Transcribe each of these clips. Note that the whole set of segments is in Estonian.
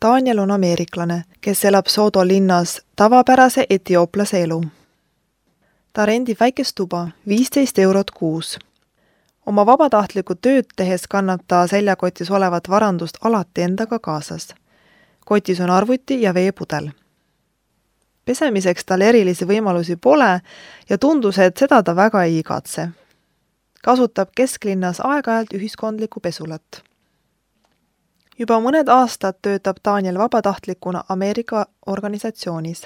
Daniel on ameeriklane, kes elab Sodo linnas tavapärase etiooplase elu. Ta rendib väikest tuba, 15 eurot kuus. Oma vabatahtlikku tööd tehes kannab ta seljakotis olevat varandust alati endaga kaasas. Kotis on arvuti ja veepudel. Pesemiseks tal erilisi võimalusi pole ja tundus, et seda ta väga ei igatse. Kasutab kesklinnas aeg-ajalt ühiskondlikku pesulat. Juba mõned aastad töötab Daniel vabatahtlikuna Ameerika organisatsioonis.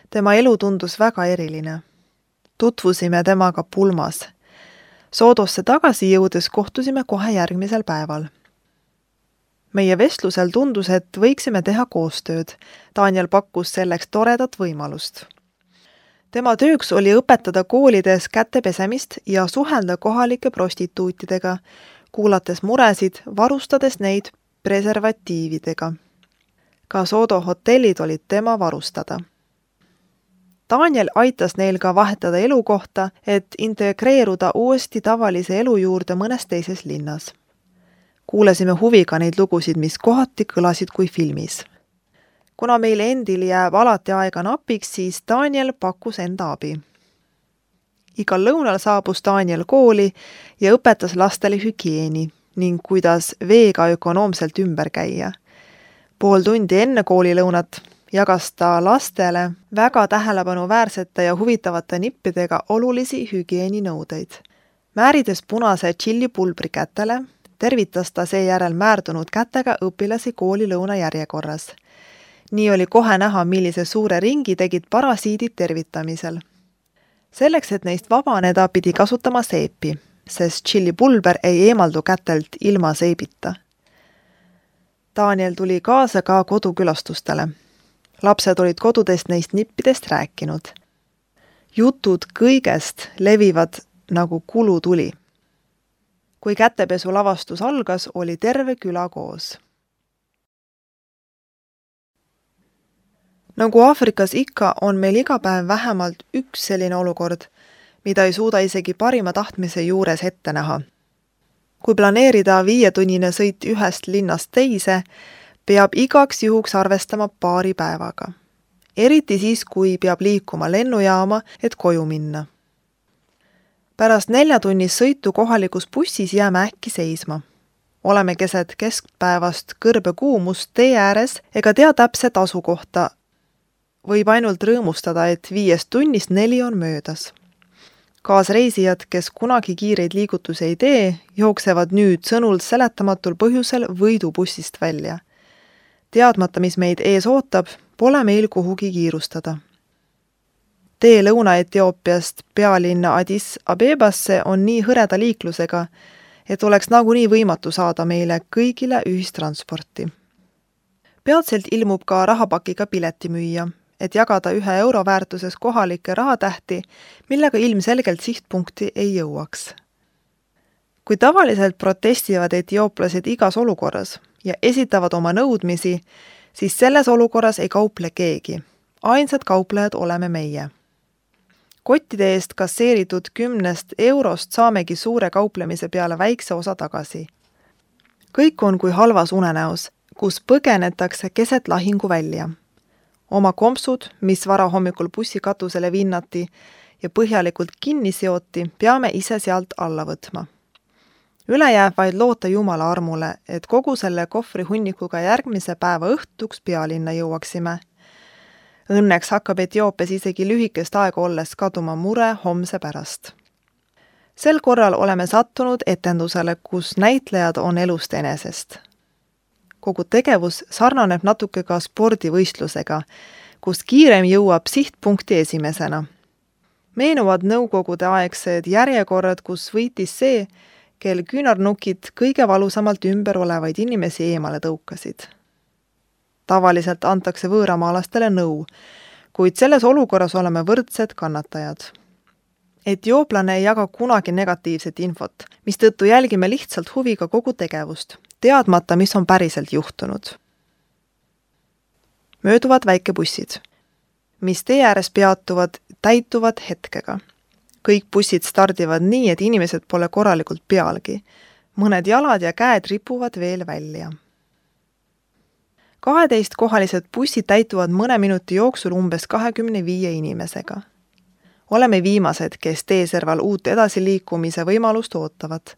Tema elu tundus väga eriline. Tutvusime temaga pulmas. Sodosse tagasi jõudes kohtusime kohe järgmisel päeval. Meie vestlusel tundus, et võiksime teha koostööd. Daniel pakkus selleks toredat võimalust. Tema tööks oli õpetada koolides kätepesemist ja suhelda kohalike prostituutidega, kuulates muresid, varustades neid preservatiividega. Ka Sodo hotellid olid tema varustada. Daniel aitas neil ka vahetada elukohta, et integreeruda uuesti tavalise elu juurde mõnes teises linnas. Kuulasime huviga neid lugusid, mis kohati kõlasid kui filmis. Kuna meil endil jääb alati aega napiks, siis Daniel pakkus enda abi. Igal lõunal saabus Daniel kooli ja õpetas lastele hügieeni ning kuidas veega ökonoomselt ümber käia. Pool tundi enne koolilõunat jagas ta lastele väga tähelepanuväärsete ja huvitavate nippidega olulisi hügieeninõudeid. Määrides punase tšillipulbri kätele, tervitas ta seejärel määrdunud kätega õpilasi koolilõuna järjekorras. Nii oli kohe näha, millise suure ringi tegid parasiidid tervitamisel. Selleks, et neist vabaneda, pidi kasutama seepi, sest tšillipulber ei eemaldu kätelt ilma seebita. Daniel tuli kaasa ka kodukülastustele. Lapsed olid kodudest neist nippidest rääkinud. Jutud kõigest levivad nagu kulutuli. Kui kätepesu lavastus algas, oli terve küla koos. Nagu Aafrikas ikka, on meil iga päev vähemalt üks selline olukord, mida ei suuda isegi parima tahtmise juures ette näha. Kui planeerida 5-tunnine sõit ühest linnast teise, peab igaks juhuks arvestama paari päevaga. Eriti siis, kui peab liikuma lennujaama, et koju minna. Pärast 4-tunnist sõitu kohalikus bussis jääme äkki seisma. Oleme keset keskpäevast kõrbe kuumust tee ääres ega tea täpset asukohta. Võib ainult rõõmustada, et 5 tunnist 4 on möödas. Kaasreisijad, kes kunagi kiireid liigutusi ei tee, jooksevad nüüd sõnul seletamatul põhjusel võidubussist välja. Teadmata, mis meid ees ootab, pole meil kuhugi kiirustada. Tee Lõuna-Etioopiast pealinna Addis Abebasse on nii hõreda liiklusega, et oleks nagunii võimatu saada meile kõigile ühistransporti. Peatselt ilmub ka rahapakiga piletimüüja, et jagada 1 euro väärtuses kohalikke rahatähti, millega ilmselgelt sihtpunkti ei jõuaks. Kui tavaliselt protestivad etiooplased igas olukorras ja esitavad oma nõudmisi, siis selles olukorras ei kauple keegi. Ainsad kauplejad oleme meie. Kottide eest kasseeritud 10 eurost saamegi suure kauplemise peale väikse osa tagasi. Kõik on kui halvas unenäos, kus põgenetakse keset lahingu välja. Oma kompsud, mis varahommikul bussikatusele vinnati ja põhjalikult kinni seoti, peame ise sealt alla võtma. Üle jääb vaid loota Jumala armule, et kogu selle kohvri hunnikuga järgmise päeva õhtuks pealinna jõuaksime. Õnneks hakkab Etioopias isegi lühikest aega olles kaduma mure homse pärast. Sel korral oleme sattunud etendusele, kus näitlejad on elust enesest. Kogu tegevus sarnaneb natuke ka spordivõistlusega, kus kiirem jõuab sihtpunkti esimesena. Meenuvad nõukogude aegsed järjekorrad, kus võitis see, kel küünarnukid kõige valusamalt ümber olevaid inimesi eemale tõukasid. Tavaliselt antakse võõramaalastele nõu, kuid selles olukorras oleme võrdsed kannatajad. Etiooplane ei jaga kunagi negatiivset infot, mistõttu jälgime lihtsalt huviga kogu tegevust, teadmata, mis on päriselt juhtunud. Mööduvad väikebussid, mis tee ääres peatuvad, täituvad hetkega. Kõik bussid stardivad nii, et inimesed pole korralikult pealgi. Mõned jalad ja käed ripuvad veel välja. 12-kohalised bussid täituvad mõne minuti jooksul umbes 25 inimesega. Oleme viimased, kes teeserval uut edasiliikumise võimalust ootavad.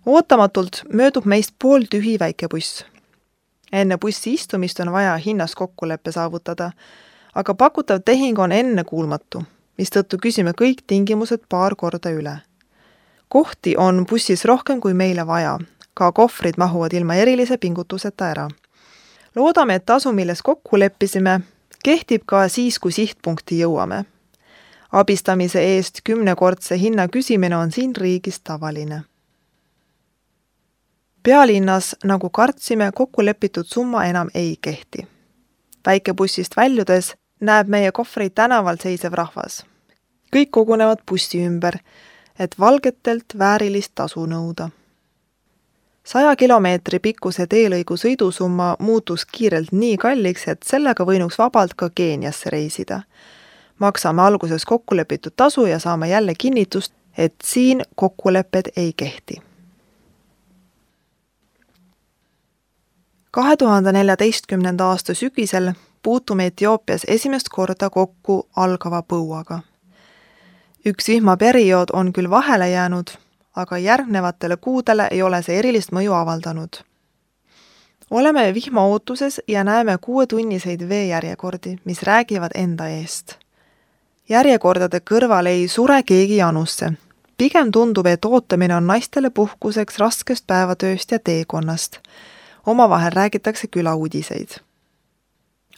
Ootamatult möödub meist pooltühi väike buss. Enne bussi istumist on vaja hinnas kokkuleppe saavutada, aga pakutav tehing on ennekuulmatu, mistõttu küsime kõik tingimused paar korda üle. Kohti on bussis rohkem kui meile vaja, ka kohvrid mahuvad ilma erilise pingutuseta ära. Loodame, et tasu, milles kokku leppisime, kehtib ka siis, kui sihtpunkti jõuame. Abistamise eest 10-kordse hinna küsimine on siin riigis tavaline. Pealinnas, nagu kartsime, kokkulepitud summa enam ei kehti. Väikebussist väljudes näeb meie kohvreid tänaval seisev rahvas. Kõik kogunevad bussi ümber, et valgetelt väärilist tasu nõuda. 100 kilomeetri pikkuse teelõigu sõidusumma muutus kiirelt nii kalliks, et sellega võinuks vabalt ka Keeniasse reisida. Maksame alguses kokkulepitud tasu ja saame jälle kinnitust, et siin kokkulepped ei kehti. 2014. aasta sügisel puutume Etioopias esimest korda kokku algava põuaga. Üks vihmaperiood on küll vahele jäänud, aga järgnevatele kuudele ei ole see erilist mõju avaldanud. Oleme vihma ootuses ja näeme 6-tunniseid veejärjekordi, mis räägivad enda eest. Järjekordade kõrval ei sure keegi janusse. Pigem tundub, et ootamine on naistele puhkuseks raskest päevatööst ja teekonnast. Omavahel räägitakse külauudiseid.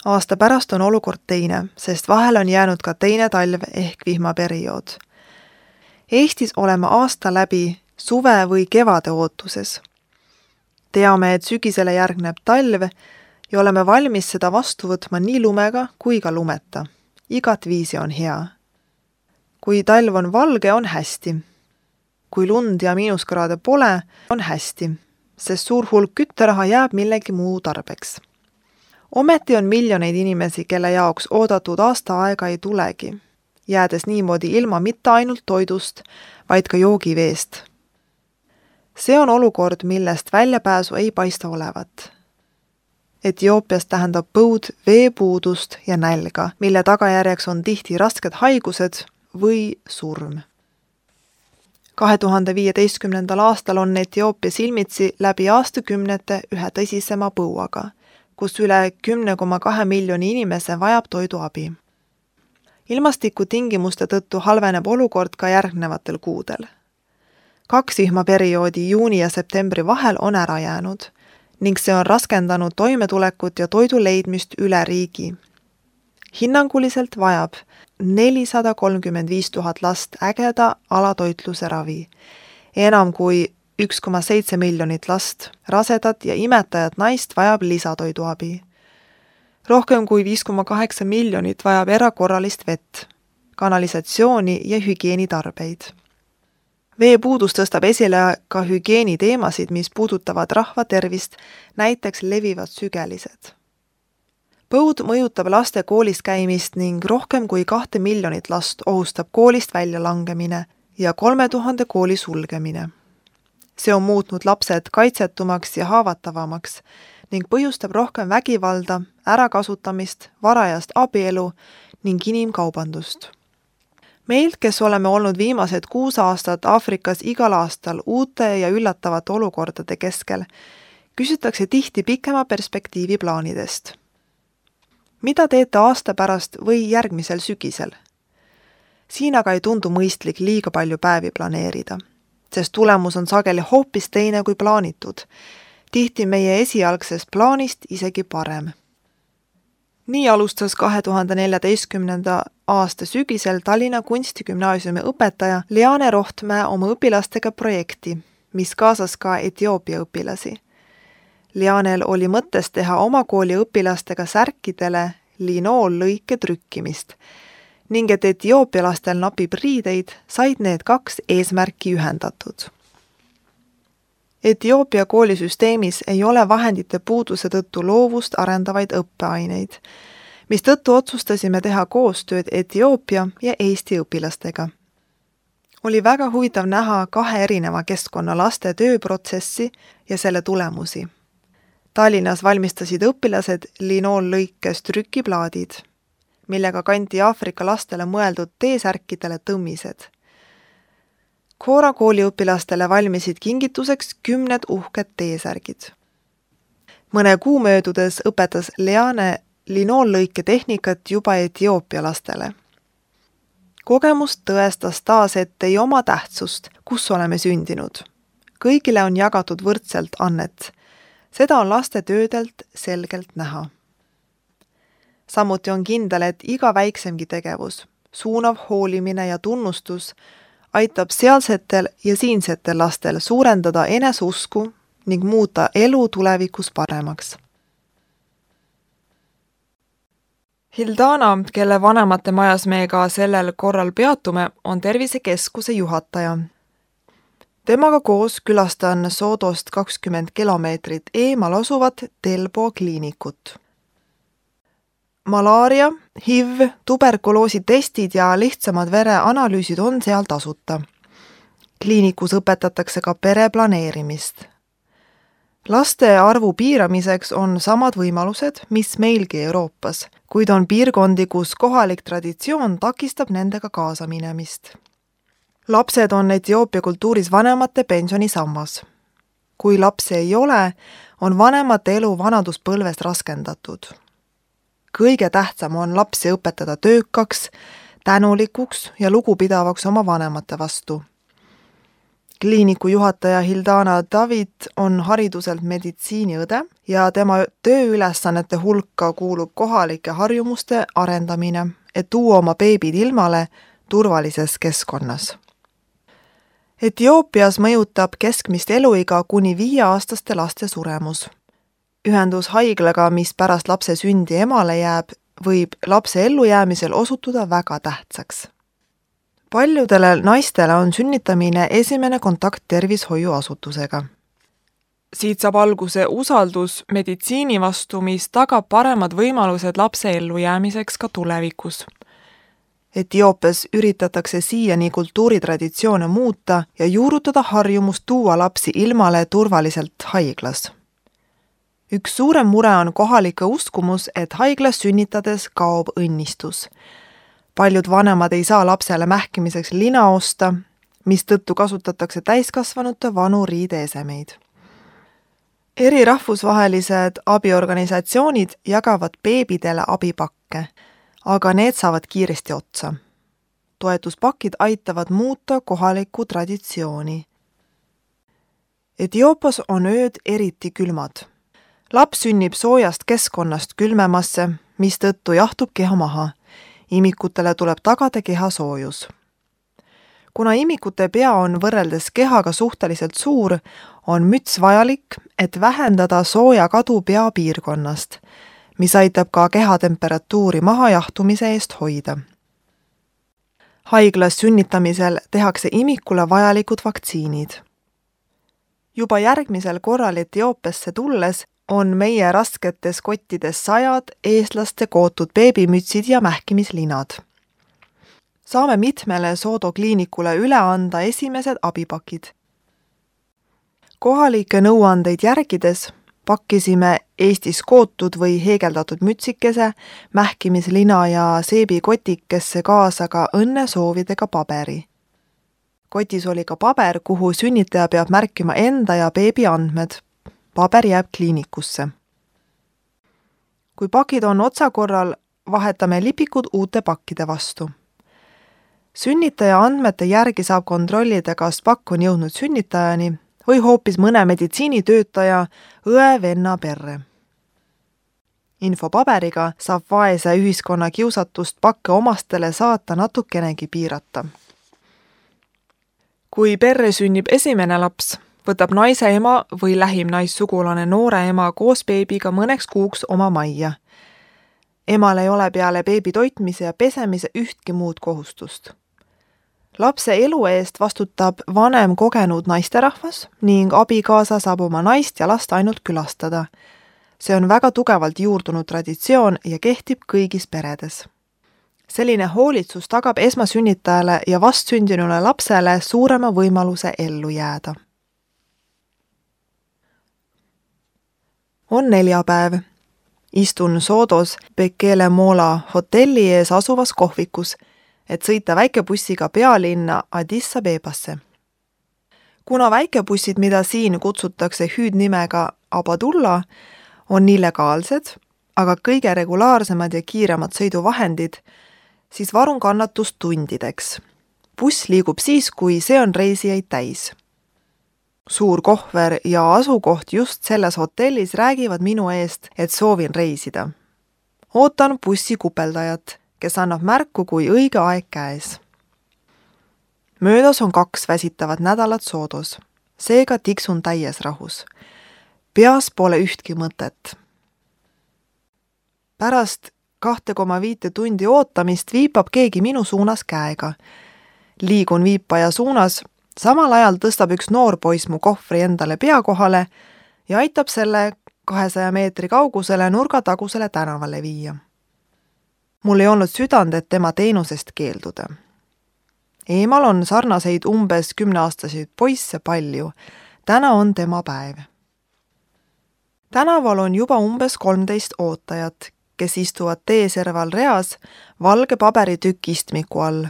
Aasta pärast on olukord teine, sest vahel on jäänud ka teine talv ehk vihmaperiood. Eestis oleme aasta läbi suve või kevade ootuses. Teame, et sügisele järgneb talv ja oleme valmis seda vastu võtma nii lumega kui ka lumeta. Igat viisi on hea. Kui talv on valge, on hästi. Kui lund ja miinuskraade pole, on hästi, sest suur hulk kütteraha jääb millegi muu tarbeks. Ometi on miljoneid inimesi, kelle jaoks oodatud aasta aega ei tulegi, jäädes niimoodi ilma mitte ainult toidust, vaid ka joogiveest. See on olukord, millest väljapääsu ei paista olevat. Etioopias tähendab põud veepuudust ja nälga, mille tagajärjeks on tihti rasked haigused või surm. 2015. aastal on Etioopias silmitsi läbi aastakümnete ühe tõsisema põuaga, kus üle 10,2 miljoni inimese vajab toiduabi. Ilmastikutingimuste tõttu halveneb olukord ka järgnevatel kuudel. 2 vihmaperioodi juuni ja septembri vahel on ära jäänud ning see on raskendanud toimetulekut ja toidu leidmist üle riigi. Hinnanguliselt vajab 435 000 last ägeda alatoitluse ravi, enam kui 1,7 miljonit last, rasedat ja imetajat naist vajab lisatoiduabi. Rohkem kui 5,8 miljonit vajab erakorralist vett, kanalisatsiooni ja hügieenitarbeid. Veepuudus tõstab esile ka hügieeniteemasid, mis puudutavad rahva tervist, näiteks levivad sügelised. Põud mõjutab laste koolis käimist ning rohkem kui 2 miljonit last ohustab koolist väljalangemine ja 3000 kooli sulgemine. See on muutnud lapsed kaitsetumaks ja haavatavamaks ning põhjustab rohkem vägivalda, ärakasutamist, varajast abielu ning inimkaubandust. Meilt, kes oleme olnud viimased 6 aastat Aafrikas igal aastal uute ja üllatavate olukordade keskel, küsitakse tihti pikema perspektiivi plaanidest. Mida teete aasta pärast või järgmisel sügisel? Siin aga ei tundu mõistlik liiga palju päevi planeerida, sest tulemus on sageli hoopis teine kui plaanitud, tihti meie esialgsest plaanist isegi parem. Nii alustas 2014. aasta sügisel Tallinna Kunstigümnaasiumi õpetaja Liane Rohtmäe oma õpilastega projekti, mis kaasas ka Etioopia õpilasi. Lianel oli mõttes teha oma kooli õpilastega särkidele linoollõike trükkimist ning et Etioopia lastel napib riideid, said need 2 eesmärki ühendatud. Etioopia koolisüsteemis ei ole vahendite puuduse tõttu loovust arendavaid õppeaineid, mistõttu otsustasime teha koostööd Etioopia ja Eesti õpilastega. Oli väga huvitav näha 2 erineva keskkonna laste tööprotsessi ja selle tulemusi. Tallinnas valmistasid õpilased linoollõikes trükiplaadid, millega kanti Aafrika lastele mõeldud T-särkidele tõmmised. Koora kooliõpilastele valmisid kingituseks 10 uhked T-särgid. Mõne kuu möödudes õpetas Leane linoollõike tehnikat juba Etioopia lastele. Kogemus tõestas taas, et ei oma tähtsust, kus oleme sündinud. Kõigile on jagatud võrdselt annet. Seda on laste töödelt selgelt näha. Samuti on kindel, et iga väiksemgi tegevus, suunav hoolimine ja tunnustus aitab sealsetel ja siinsetel lastel suurendada eneseusku ning muuta elu tulevikus paremaks. Hildana, kelle vanemate majas me ka sellel korral peatume, on tervisekeskuse juhataja. Temaga koos külastan Soodost 20 kilomeetrit eemal asuvat Telbo kliinikut. Malaaria, HIV, tuberkuloosi testid ja lihtsamad vereanalüüsid on seal tasuta. Kliinikus õpetatakse ka pereplaneerimist. Laste arvu piiramiseks on samad võimalused, mis meilgi Euroopas, kuid on piirkondi, kus kohalik traditsioon takistab nendega kaasa minemist. Lapsed on Etioopia kultuuris vanemate pensionisammas. Kui lapsi ei ole, on vanemate elu vanaduspõlvest raskendatud. Kõige tähtsam on lapsi õpetada töökaks, tänulikuks ja lugupidavaks oma vanemate vastu. Kliiniku juhataja Hildana David on hariduselt meditsiiniõde ja tema tööülesannete hulka kuulub kohalike harjumuste arendamine, et tuua oma beebid ilmale turvalises keskkonnas. Etioopias mõjutab keskmist eluiga kuni 5-aastaste laste suremus. Ühendus haiglaga, mis pärast lapse sündi emale jääb, võib lapse ellujäämisel osutuda väga tähtsaks. Paljudele naistele on sünnitamine esimene kontakt tervishoiuasutusega. Siit saab alguse usaldus meditsiini vastu, mis tagab paremad võimalused lapse ellujäämiseks ka tulevikus. Etioopias üritatakse siiani kultuuritraditsioone muuta ja juurutada harjumust tuua lapsi ilmale turvaliselt haiglas. Üks suurem mure on kohalike uskumus, et haiglas sünnitades kaob õnnistus. Paljud vanemad ei saa lapsele mähkimiseks lina osta, mistõttu kasutatakse täiskasvanute vanu riideesemeid. Eri rahvusvahelised abiorganisatsioonid jagavad beebidele abipakke, aga need saavad kiiresti otsa. Toetuspakid aitavad muuta kohalikku traditsiooni. Etioopias on ööd eriti külmad. Laps sünnib soojast keskkonnast külmemasse, mistõttu jahtub keha maha. Imikutele tuleb tagada keha soojus. Kuna imikute pea on võrreldes kehaga suhteliselt suur, on müts vajalik, et vähendada sooja kadu peapiirkonnast, mis aitab ka kehatemperatuuri mahajahtumise eest hoida. Haiglas sünnitamisel tehakse imikule vajalikud vaktsiinid. Juba järgmisel korral Etioopiasse tulles on meie rasketes kottides 100 eestlaste kootud beebimütsid ja mähkimislinad. Saame mitmele Soodo kliinikule üle anda esimesed abipakid. Kohalike nõuandeid järgides pakkisime Eestis kootud või heegeldatud mütsikese, mähkimislina ja seebikotikesse kaasa ka õnnesoovidega paberi. Kotis oli ka paber, kuhu sünnitaja peab märkima enda ja beebi andmed. Paber jääb kliinikusse. Kui pakid on otsakorral, vahetame lipikud uute pakkide vastu. Sünnitaja andmete järgi saab kontrollida, kas pakk on jõudnud sünnitajani või hoopis mõne meditsiinitöötaja õe-venna perre. Infopaberiga saab vaese ühiskonna kiusatust pakke omastele saata natukenegi piirata. Kui perre sünnib esimene laps, võtab naise ema või lähim naissugulane noore ema koos beebiga mõneks kuuks oma majja. Emal ei ole peale beebi toitmise ja pesemise ühtki muud kohustust. Lapse elu eest vastutab vanem kogenud naisterahvas ning abikaasa saab oma naist ja last ainult külastada. See on väga tugevalt juurdunud traditsioon ja kehtib kõigis peredes. Selline hoolitsus tagab esmasünnitajale ja vastsündinule lapsele suurema võimaluse ellu jääda. On neljapäev. Istun Soodos Bekele Moola hotelli ees asuvas kohvikus, et sõita väikebussiga pealinna Addis Abebasse. Kuna väikebussid, mida siin kutsutakse hüüdnimega Abadulla, on illegaalsed, aga kõige regulaarsemad ja kiiremad sõiduvahendid, siis varun kannatust tundideks. Buss liigub siis, kui see on reisijaid täis. Suur kohver ja asukoht just selles hotellis räägivad minu eest, et soovin reisida. Ootan bussi kupeldajat, kes annab märku, kui õige aeg käes. Möödas on 2 väsitavat nädalat Soodos, seega tiksun täies rahus. Peas pole ühtki mõtet. Pärast 2,5 tundi ootamist viipab keegi minu suunas käega. Liigun viipaja suunas, samal ajal tõstab üks noor poiss mu kohvri endale pea kohale ja aitab selle 200 meetri kaugusele nurgatagusele tänavale viia. Mul ei olnud südant, et tema teenusest keelduda. Eemal on sarnaseid umbes 10-aastaseid poisse palju. Täna on tema päev. Tänaval on juba umbes 13 ootajat, kes istuvad teeserval reas valge paberitükk istmiku all.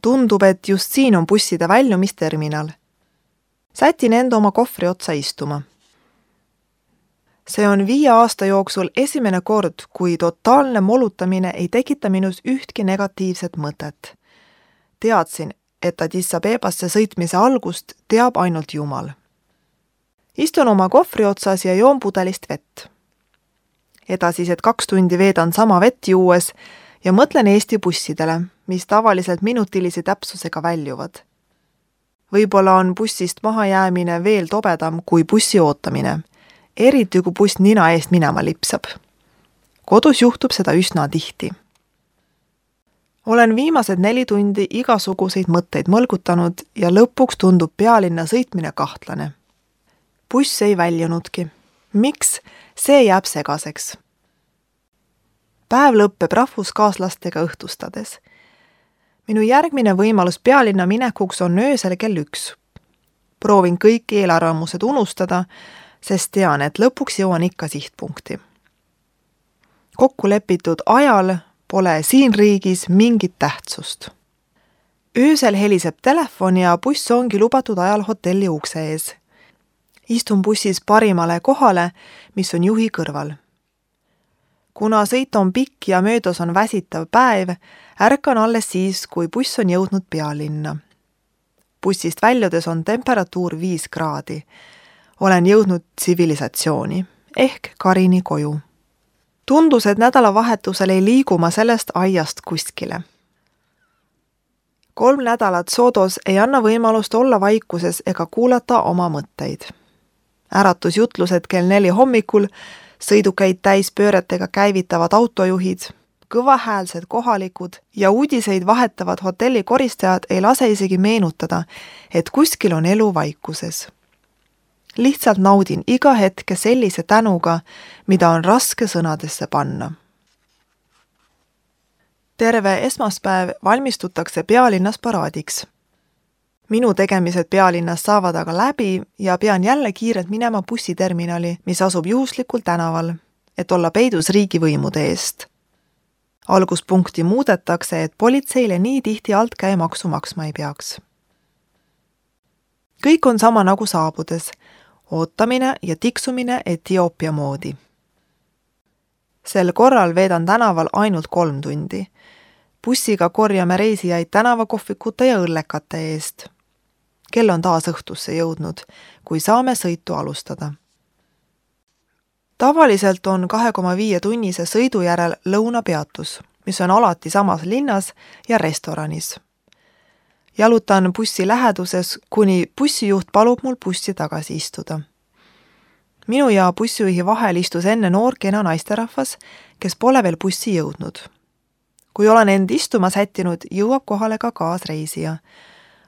Tundub, et just siin on busside väljumisterminal. Sätin enda oma kohvri otsa istuma. See on 5 aasta jooksul esimene kord, kui totaalne molutamine ei tekita minus ühtki negatiivset mõtet. Teadsin, et Addis Abebasse sõitmise algust teab ainult Jumal. Istun oma kohvri otsas ja joon pudelist vett. Edasised 2 tundi veedan sama vett juues ja mõtlen Eesti bussidele, mis tavaliselt minutilise täpsusega väljuvad. Võib-olla on bussist mahajäämine veel tobedam kui bussi ootamine, eriti kui buss nina eest minema lipsab. Kodus juhtub seda üsna tihti. Olen viimased 4 tundi igasuguseid mõtteid mõlgutanud ja lõpuks tundub pealinna sõitmine kahtlane. Buss ei väljunudki. Miks? See jääb segaseks. Päev lõppeb rahvuskaaslastega õhtustades. Minu järgmine võimalus pealinna minekuks on öösel kell 1. Proovin kõik eelarvamused unustada, sest tean, et lõpuks jõuan ikka sihtpunkti. Kokku lepitud ajal pole siin riigis mingit tähtsust. Öösel heliseb telefon ja buss ongi lubatud ajal hotelli ukse ees. Istun bussis parimale kohale, mis on juhi kõrval. Kuna sõit on pikk ja möödas on väsitav päev, ärkan alles siis, kui buss on jõudnud pealinna. Bussist väljudes on temperatuur 5 kraadi. Olen jõudnud tsivilisatsiooni, ehk Karini koju. Tundus, et nädalavahetusel ei liigu ma sellest aiast kuskile. 3 nädalat Soodos ei anna võimalust olla vaikuses ega kuulata oma mõtteid. Äratusjutlused kell 4 hommikul, sõidukäid täis pööretega käivitavad autojuhid, kõvahäälsed kohalikud ja uudiseid vahetavad hotelli koristajad ei lase isegi meenutada, et kuskil on elu vaikuses. Lihtsalt naudin iga hetke sellise tänuga, mida on raske sõnadesse panna. Terve esmaspäev valmistutakse pealinnas paraadiks. Minu tegemised pealinnas saavad aga läbi ja pean jälle kiirelt minema bussiterminali, mis asub juhuslikul tänaval, et olla peidus riigivõimude eest. Alguspunkti muudetakse, et politseile nii tihti altkäemaksu maksma ei peaks. Kõik on sama nagu saabudes, ootamine ja tiksumine Etioopia moodi. Sel korral veedan tänaval ainult 3 tundi. Bussiga korjame reisijaid tänavakohvikute ja õllekate eest. Kell on taas õhtusse jõudnud, kui saame sõitu alustada. Tavaliselt on 2,5 tunnise sõidu järel lõunapeatus, mis on alati samas linnas ja restoranis. Jalutan bussi läheduses, kuni bussijuht palub mul bussi tagasi istuda. Minu ja bussijuhi vahel istus enne noor kena naisterahvas, kes pole veel bussi jõudnud. Kui olen end istuma sättinud, jõuab kohale ka kaasreisija.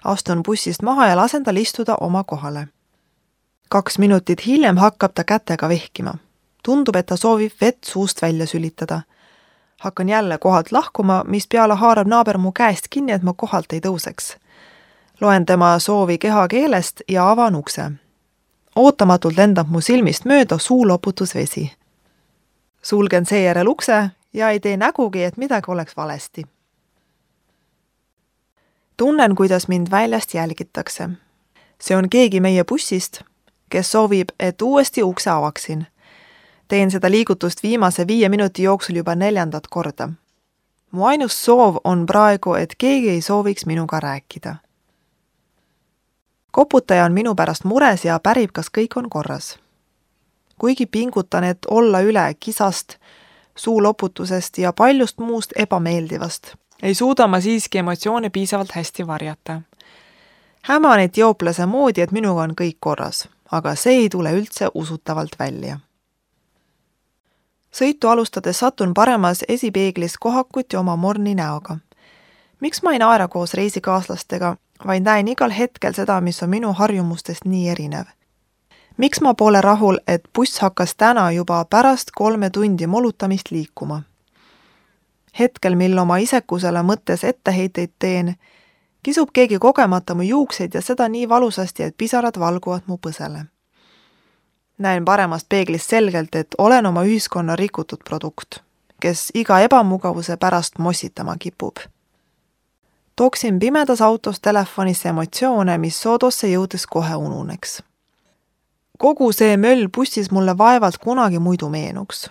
Astun bussist maha ja lasen tal istuda oma kohale. 2 minutit hiljem hakkab ta kätega vehkima. Tundub, et ta soovib vett suust välja sülitada. Hakkan jälle kohalt lahkuma, mis peale haarab naaber mu käest kinni, et ma kohalt ei tõuseks. Loen tema soovi kehakeelest ja avan ukse. Ootamatult lendab mu silmist mööda suuloputusvesi. Sulgen seejärel ukse ja ei tee nägugi, et midagi oleks valesti. Tunnen, kuidas mind väljast jälgitakse. See on keegi meie bussist, kes soovib, et uuesti ukse avaksin. Teen seda liigutust viimase 5 minuti jooksul juba 4. korda. Mu ainus soov on praegu, et keegi ei sooviks minuga rääkida. Koputaja on minu pärast mures ja pärib, kas kõik on korras. Kuigi pingutan, et olla üle kisast, suuloputusest ja paljust muust ebameeldivast, ei suuda ma siiski emotsioone piisavalt hästi varjata. Häman etiooplase moodi, et minuga on kõik korras, aga see ei tule üldse usutavalt välja. Sõitu alustades satun paremas esipeeglis kohakuti oma morni näoga. Miks ma ei naera koos reisikaaslastega, vaid näen igal hetkel seda, mis on minu harjumustest nii erinev? Miks ma pole rahul, et buss hakkas täna juba pärast 3 tundi molutamist liikuma? Hetkel, mil oma isekusele mõttes etteheiteid teen, kisub keegi kogemata mu juukseid ja seda nii valusasti, et pisarad valguvad mu põsele. Näen paremast peeglist selgelt, et olen oma ühiskonna rikutud produkt, kes iga ebamugavuse pärast mossitama kipub. Tooksin pimedas autos telefonisse emotsioone, mis Soodosse jõudes kohe ununeks. Kogu see möll bussis mulle vaevalt kunagi muidu meenuks.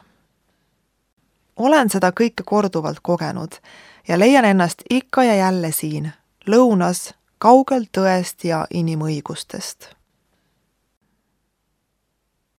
Olen seda kõike korduvalt kogenud ja leian ennast ikka ja jälle siin, lõunas, kaugel tõest ja inimõigustest.